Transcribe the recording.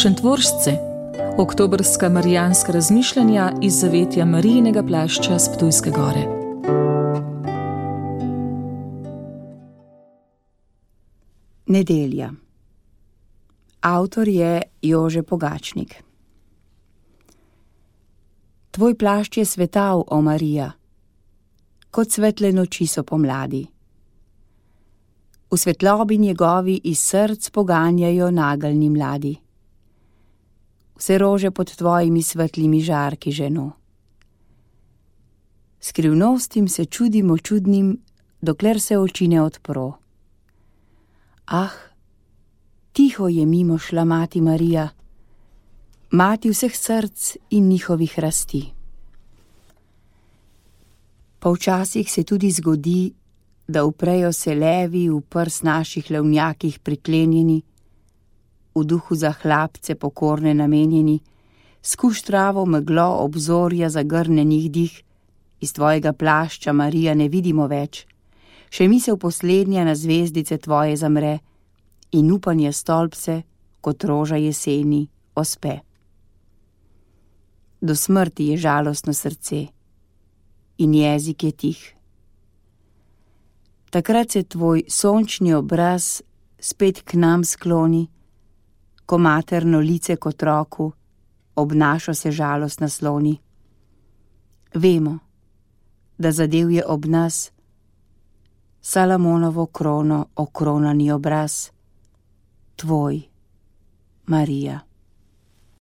Šentvoržce, oktobrska marijanska razmišljanja iz zavetja Marijinega plašča s Ptujske gore. Nedelja. Avtor je Jože Pogačnik. Tvoj plašč je svetav, o Marija, kot svetle noči so pomladi. V svetlobi njegovi iz src poganjajo nageljni mladi. Vse rože pod tvojimi svetlimi žarki ženo. Skrivnostim se čudimo čudnim, dokler se oči ne odpro. Ah, tiho je mimo šla mati Marija, mati vseh src in njihovih rasti. Pa včasih se tudi zgodi, da uprejo se levi v prs naših levnjakih priklenjeni, v duhu za hlapce pokorne namenjeni, skuš travo meglo obzorja zagrnenih dih, iz tvojega plašča, Marija, ne vidimo več, še misel poslednja na zvezdice tvoje zamre in upanje stolpce, kot roža jeseni, ospe. Do smrti je žalostno srce in jezik je tih. Takrat se tvoj sončni obraz spet k nam skloni, ko materno lice k otroku ob našo se žalost nasloni. Vemo, da zadev je ob nas Salamonovo krono okronani obraz, tvoj, Marija.